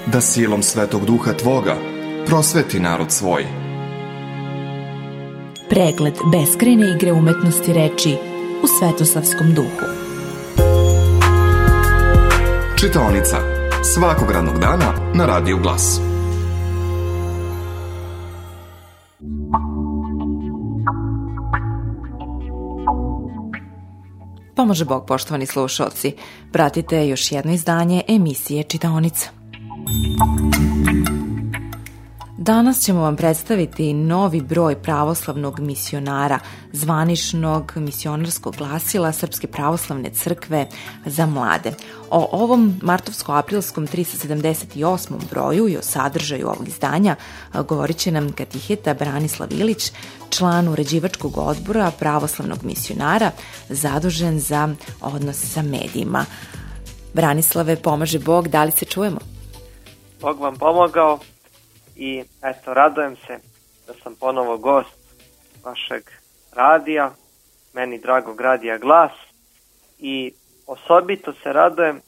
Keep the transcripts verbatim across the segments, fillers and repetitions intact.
da silom Svetog Duha Tvoga prosveti narod svoj. Pregled beskrajne igre umetnosti reči u Svetosavskom duhu. Čitaonica svakog radnog dana na Radiju Glas. Pomože Bog, poštovani slušalci. Pratite još jedno izdanje emisije Čitaonica. Danas ćemo vam predstaviti novi broj pravoslavnog misionara, zvaničnog misionarskog glasila Srpske pravoslavne crkve za mlade. O ovom martovsko-aprilskom tristo sedamdeset osmom broju i o sadržaju ovog izdanja govorit će nam katiheta Branislav Ilić, član uređivačkog odbora pravoslavnog misionara, zadužen za odnose sa medijima. Branislave, pomaže Bog, da li se čujemo? Bog vam pomogao. I eto, radujem se da sam ponovo gost vašeg radija, meni dragog Radija Glas, i osobito se radujem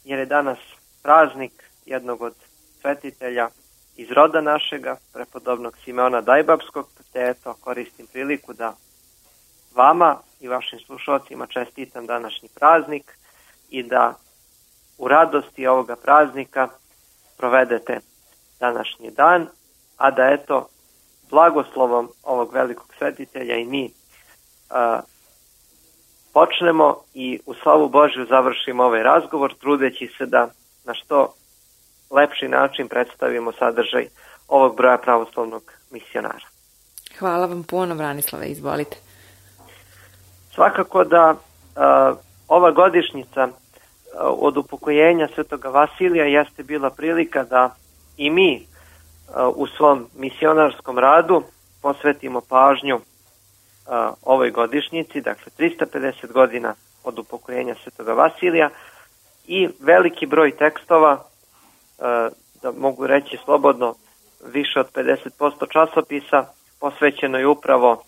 jer je danas praznik jednog od svetitelja iz roda našega, prepodobnog Simeona Dajbapskog, te eto, koristim priliku da vama i vašim slušalcima čestitam današnji praznik i da u radosti ovoga praznika provedete današnji dan, a da eto blagoslovom ovog velikog svetitelja i mi a, počnemo i u slavu Božju završimo ovaj razgovor, trudeći se da na što lepši način predstavimo sadržaj ovog broja pravoslavnog misionara. Hvala vam puno, Branislave, izvolite. Svakako da a, ova godišnjica a, od upokojenja Svetoga Vasilija jeste bila prilika da i mi u svom misionarskom radu posvetimo pažnju ovoj godišnjici, dakle tristo pedeset godina od upokojenja Svetoga Vasilija, i veliki broj tekstova, da mogu reći slobodno više od pedeset posto časopisa, posvećeno je upravo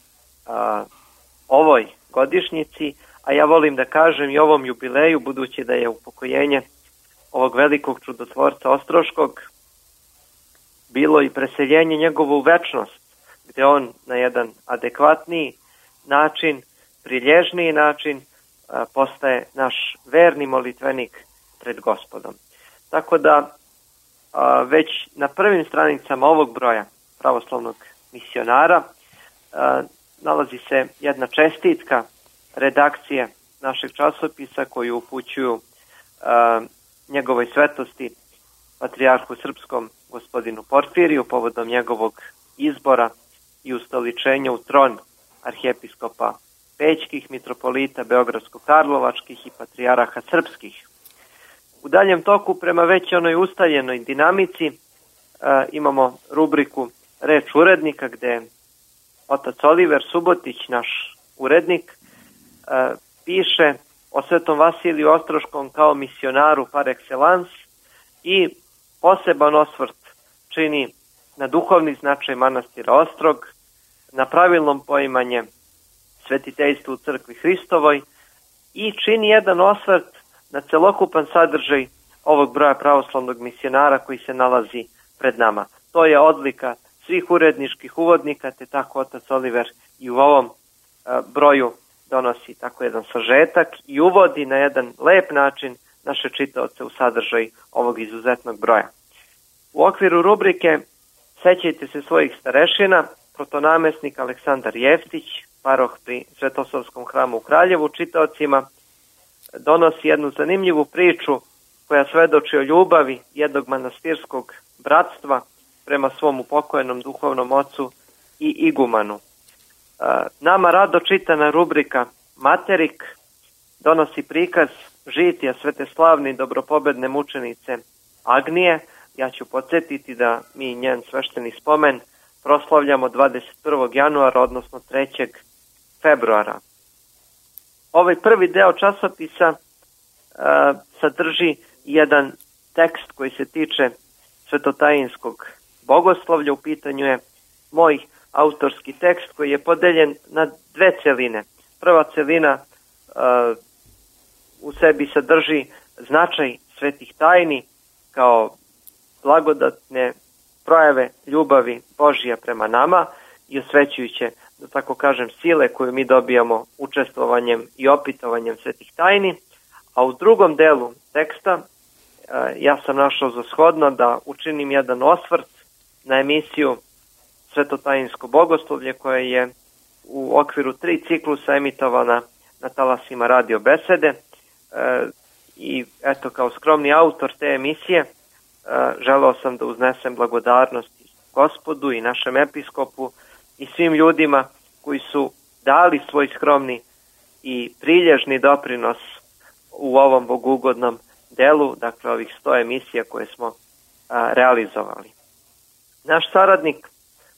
ovoj godišnjici, a ja volim da kažem i ovom jubileju, budući da je upokojenje ovog velikog čudotvorca Ostroškog bilo i preseljenje njegovo u večnost, gde on na jedan adekvatniji način, prilježniji način postaje naš verni molitvenik pred Gospodom. Tako da već na prvim stranicama ovog broja pravoslavnog misionara nalazi se jedna čestitka redakcije našeg časopisa koju upućuju njegovoj svetosti patrijarhu srpskom gospodinu Porfiriju povodom njegovog izbora i ustoličenja u tron arhijepiskopa Pećkih, mitropolita Beogradsko-Karlovačkih i patrijaraha srpskih. U daljem toku, prema već onoj ustaljenoj dinamici, e, imamo rubriku Reč urednika, gde otac Oliver Subotić, naš urednik, e, piše o Svetom Vasiliju Ostroškom kao misionaru par excellence i poseban osvrt čini na duhovni značaj manastira Ostrog, na pravilnom poimanje svetiteljstva u crkvi Hristovoj i čini jedan osvrt na celokupan sadržaj ovog broja pravoslavnog misionara koji se nalazi pred nama. To je odlika svih uredničkih uvodnika, te tako otac Oliver i u ovom a, broju donosi tako jedan sažetak i uvodi na jedan lep način naše čitaoce u sadržaj ovog izuzetnog broja. U okviru rubrike Sećajte se svojih starešina, protonamesnik Aleksandar Jeftić, paroh pri Svetosavskom hramu u Kraljevu, čitaocima donosi jednu zanimljivu priču koja svedoči o ljubavi jednog manastirskog bratstva prema svom upokojenom duhovnom ocu i igumanu. Nama rado čitana rubrika Materik donosi prikaz žitija sveteslavne i dobropobedne mučenice Agnije. Ja ću podsjetiti da mi njen svešteni spomen proslavljamo dvadeset prvog januara, odnosno trećeg februara. Ovaj prvi deo časopisa a, sadrži jedan tekst koji se tiče svetotajinskog bogoslovlja. U pitanju je moj autorski tekst koji je podeljen na dve celine. Prva celina a, u sebi sadrži značaj svetih tajni kao blagodatne projave ljubavi Božija prema nama i osvećujuće, da tako kažem, sile koju mi dobijamo učestvovanjem i opitovanjem svetih tajni. A u drugom delu teksta ja sam našao za shodno da učinim jedan osvrt na emisiju Svetotajinsko bogoslovlje koja je u okviru tri ciklusa emitovana na talasima Radio Besede. E, I eto, kao skromni autor te emisije e, želeo sam da uznesem blagodarnost Gospodu i našem episkopu i svim ljudima koji su dali svoj skromni i prilježni doprinos u ovom bogugodnom delu, dakle ovih sto emisija koje smo a, realizovali. Naš saradnik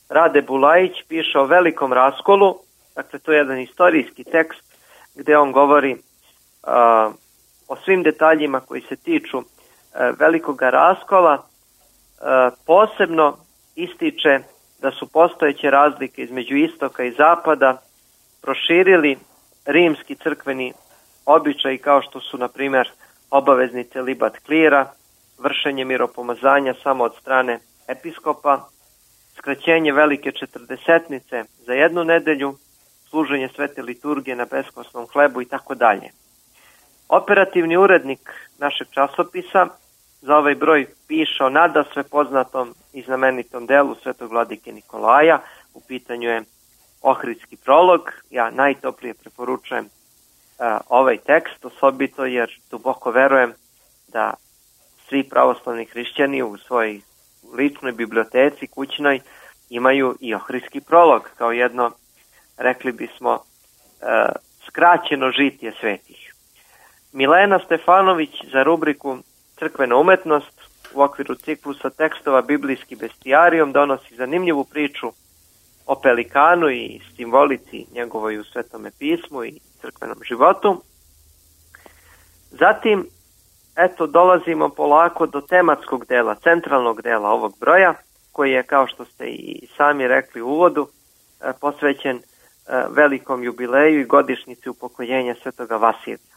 Rade Bulajić piše o velikom raskolu, dakle to je jedan istorijski tekst gdje on govori a, o svim detaljima koji se tiču a, velikoga raskola, a, posebno ističe da su postojeće razlike između istoka i zapada proširili rimski crkveni običaj kao što su, na primjer, obavezni celibat klira, vršenje miropomazanja samo od strane episkopa, skraćenje velike četrdesetnice za jednu nedelju, služenje svete liturgije na beskosnom hlebu i tako dalje. Operativni urednik našeg časopisa za ovaj broj piše o nadasve poznatom i znamenitom delu svetog vladike Nikolaja. U pitanju je Ohridski prolog. Ja najtoplije preporučujem uh, ovaj tekst, osobito jer duboko verujem da svi pravoslavni hrišćani u svojoj ličnoj biblioteci kućnoj imaju i Ohridski prolog kao jedno, rekli bismo, uh, skraćeno žitije svetih. Milena Stefanović za rubriku Crkvena umetnost u okviru ciklusa tekstova Biblijski bestijarijom donosi zanimljivu priču o pelikanu i simbolici njegovoj u Svetome pismu i crkvenom životu. Zatim, eto, dolazimo polako do tematskog dela, centralnog dela ovog broja, koji je, kao što ste i sami rekli u uvodu, posvećen velikom jubileju i godišnjici upokojenja svetoga Vasilija.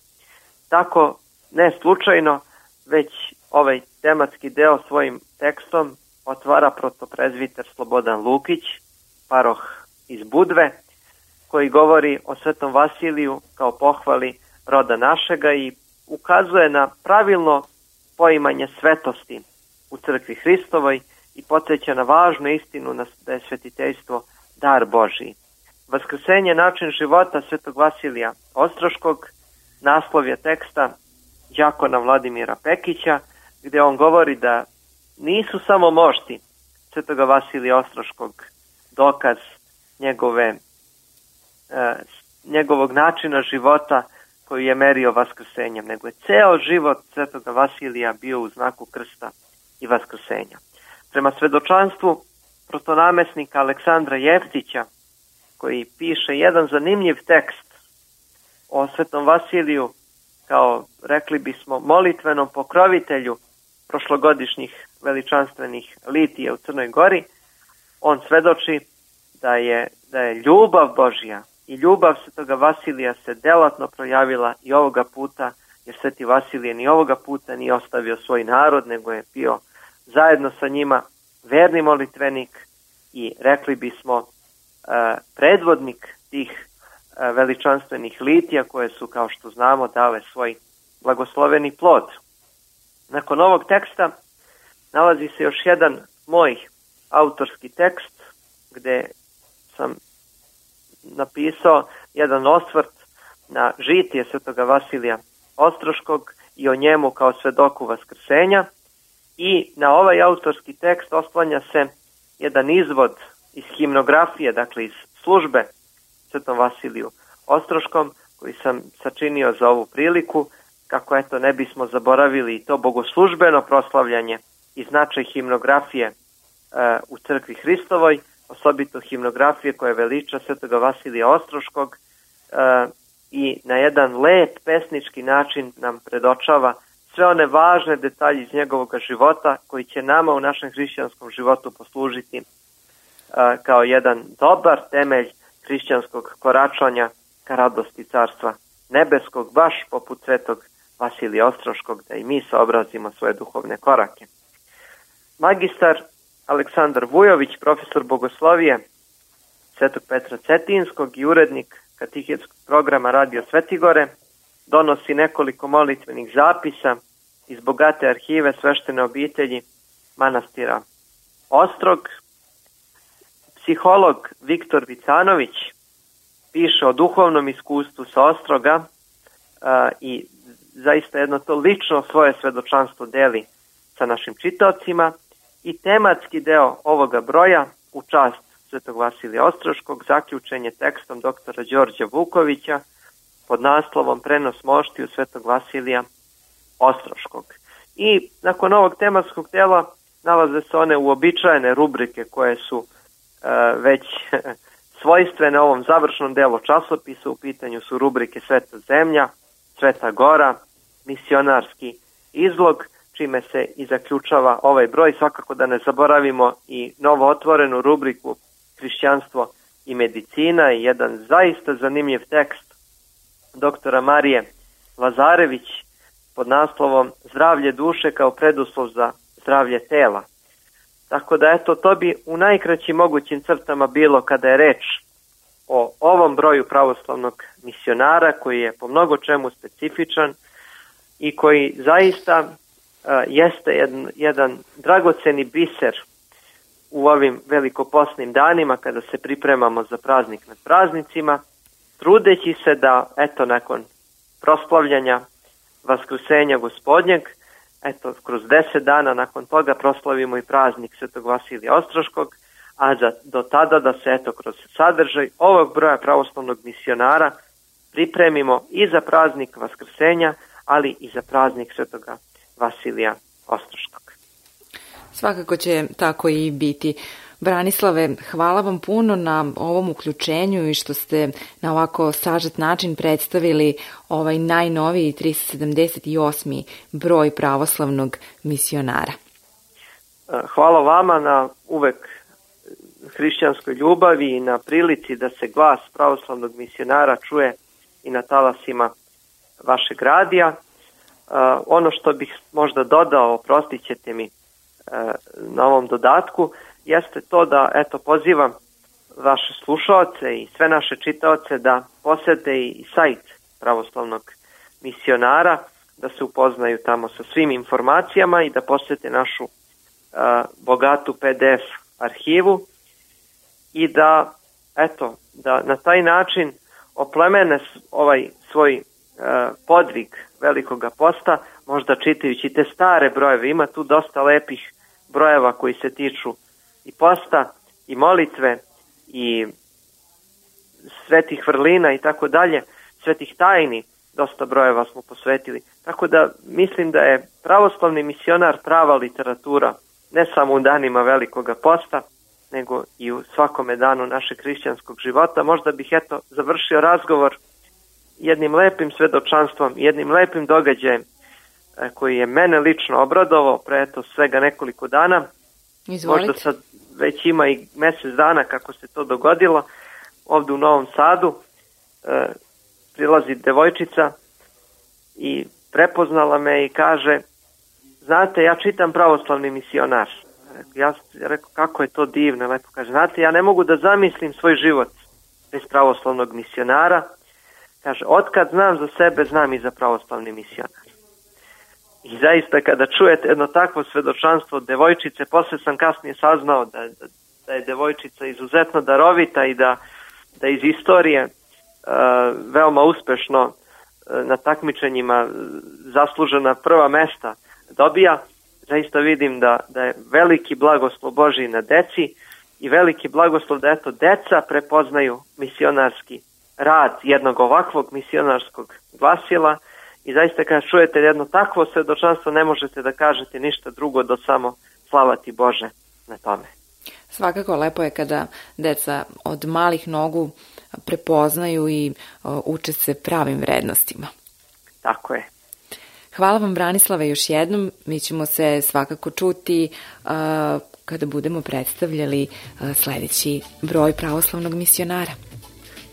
Tako, ne slučajno, već ovaj tematski deo svojim tekstom otvara protoprezviter Slobodan Lukić, paroh iz Budve, koji govori o svetom Vasiliju kao pohvali roda našega i ukazuje na pravilno poimanje svetosti u crkvi Hristovoj i podsjeća na važnu istinu da je svetiteljstvo dar Božiji. Vaskrsenje način života svetog Vasilija Ostroškog, naslov je teksta đakona Vladimira Pekića, gdje on govori da nisu samo mošti svetoga Vasilija Ostroškog dokaz njegove, e, njegovog načina života koji je merio vaskrsenjem, nego je ceo život svetoga Vasilija bio u znaku krsta i vaskrsenja. Prema svedočanstvu protonamesnika Aleksandra Jeftića, koji piše jedan zanimljiv tekst o svetom Vasiliju kao, rekli bismo, molitvenom pokrovitelju prošlogodišnjih veličanstvenih litija u Crnoj Gori, on svedoči da je, da je ljubav Božja i ljubav svetoga Vasilija se delatno projavila i ovoga puta, jer sveti Vasilije ni ovoga puta nije ostavio svoj narod, nego je bio zajedno sa njima verni molitvenik i, rekli bismo, predvodnik tih veličanstvenih litija koje su, kao što znamo, dale svoj blagosloveni plod. Nakon ovog teksta nalazi se još jedan moj autorski tekst gdje sam napisao jedan osvrt na žitije svetoga Vasilija Ostroškog i o njemu kao svedoku vaskrsenja, i na ovaj autorski tekst oslanja se jedan izvod iz himnografije, dakle iz službe svetom Vasiliju Ostroškom, koji sam sačinio za ovu priliku, kako eto ne bismo zaboravili i to bogoslužbeno proslavljanje i značaj himnografije e, u crkvi Hristovoj, osobito himnografije koja veliča svetoga Vasilija Ostroškog e, i na jedan lep pesnički način nam predočava sve one važne detalje iz njegovog života koji će nama u našem hrišćanskom životu poslužiti e, kao jedan dobar temelj hrišćanskog koračanja ka radosti carstva nebeskog, baš poput svetog Vasilija Ostroškog, da i mi saobrazimo svoje duhovne korake. magistar Aleksandar Vujović, profesor bogoslovije Svetog Petra Cetinskog i urednik katehetskog programa Radio Svetigore, donosi nekoliko molitvenih zapisa iz bogate arhive sveštene obitelji manastira Ostrog. Psiholog Viktor Vicanović piše o duhovnom iskustvu sa Ostroga a, i zaista jedno to lično svoje svedočanstvo deli sa našim čitaocima i tematski deo ovoga broja u čast Svetog Vasilija Ostroškog zaključen je tekstom doktora Đorđa Vukovića pod naslovom Prenos moštiju Svetog Vasilija Ostroškog. I nakon ovog tematskog dela nalaze se one uobičajene rubrike koje su e, već svojstvene ovom završnom delu časopisa. U pitanju su rubrike Sveta zemlja, Sveta gora, misionarski izlog, čime se i zaključava ovaj broj. Svakako da ne zaboravimo i novo otvorenu rubriku Hrišćanstvo i medicina i jedan zaista zanimljiv tekst doktora Marije Lazarević pod naslovom Zdravlje duše kao preduslov za zdravlje tela. Tako da eto, to bi u najkraćim mogućim crtama bilo kada je reč o ovom broju pravoslavnog misionara koji je po mnogo čemu specifičan i koji zaista uh, jeste jedan, jedan dragoceni biser u ovim velikoposnim danima kada se pripremamo za praznik nad praznicima, trudeći se da eto nakon proslavljanja Vaskrsenja Gospodnjeg, eto kroz deset dana nakon toga proslavimo i praznik Svetog Vasilija Ostroškog, a za, do tada da se eto kroz sadržaj ovog broja pravoslavnog misionara pripremimo i za praznik Vaskrsenja, ali i za praznik Svetoga Vasilija Ostroškog. Svakako će tako i biti. Branislave, hvala vam puno na ovom uključenju i što ste na ovako sažet način predstavili ovaj najnoviji tristo sedamdeset osmi broj pravoslavnog misionara. Hvala vama na uvek hrišćanskoj ljubavi i na prilici da se glas pravoslavnog misionara čuje i na talasima vašeg radija. Ono što bih možda dodao, oprostit ćete mi na ovom dodatku, jeste to da eto pozivam vaše slušaoce i sve naše čitaoce da posete i sajt pravoslavnog misionara, da se upoznaju tamo sa svim informacijama i da posete našu a, bogatu P D F arhivu i da eto da na taj način oplemene ovaj svoj a, podvig Velikoga posta, možda čitajući te stare brojeve. Ima tu dosta lepih brojeva koji se tiču i posta, i molitve, i svetih vrlina i tako dalje, svetih tajni, dosta brojeva smo posvetili. Tako da mislim da je pravoslavni misionar prava literatura, ne samo u danima Velikoga posta, nego i u svakome danu našeg hrišćanskog života. Možda bih eto završio razgovor jednim lepim svedočanstvom, jednim lepim događajem koji je mene lično obradovao pre eto svega nekoliko dana. Izvolite. Možda sad već ima i mjesec dana kako se to dogodilo. Ovde u Novom Sadu e, prilazi devojčica i prepoznala me i kaže: znate, ja čitam pravoslavni misionar. Ja rekao, kako je to divno, lepo. Kaže, znate, ja ne mogu da zamislim svoj život bez pravoslavnog misionara. Kaže, otkad znam za sebe, znam i za pravoslavni misionar. I zaista kada čujete jedno takvo svedočanstvo od devojčice, posle sam kasnije saznao da, da, da je devojčica izuzetno darovita i da, da iz istorije uh, veoma uspešno uh, na takmičenjima zaslužena prva mesta dobija. Zaista vidim da, da je veliki blagoslov Božji na deci i veliki blagoslov da eto deca prepoznaju misionarski rad jednog ovakvog misionarskog glasila. I zaista kada čujete jedno takvo svedočanstvo ne možete da kažete ništa drugo do samo slava ti Bože na tome. Svakako lepo je kada deca od malih nogu prepoznaju i o, uče se pravim vrednostima. Tako je. Hvala vam, Branislave, još jednom. Mi ćemo se svakako čuti uh, kada budemo predstavljali uh, sledeći broj pravoslavnog misionara.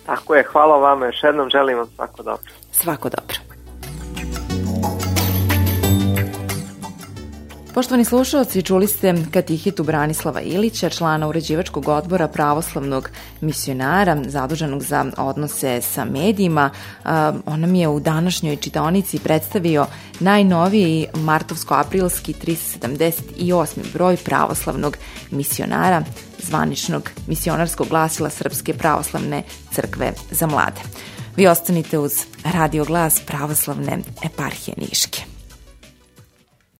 Tako je, hvala vama još jednom, želim vam svako dobro. Svako dobro. Poštovani slušalci, čuli ste katehitu Branislava Ilića, člana uređivačkog odbora pravoslavnog misionara, zaduženog za odnose sa medijima. On nam je u današnjoj čitaonici predstavio najnoviji martovsko-aprilski tristo sedamdeset osmi broj pravoslavnog misionara, zvaničnog misionarskog glasila Srpske pravoslavne crkve za mlade. Vi ostanite uz Radio Glas pravoslavne eparhije Niške.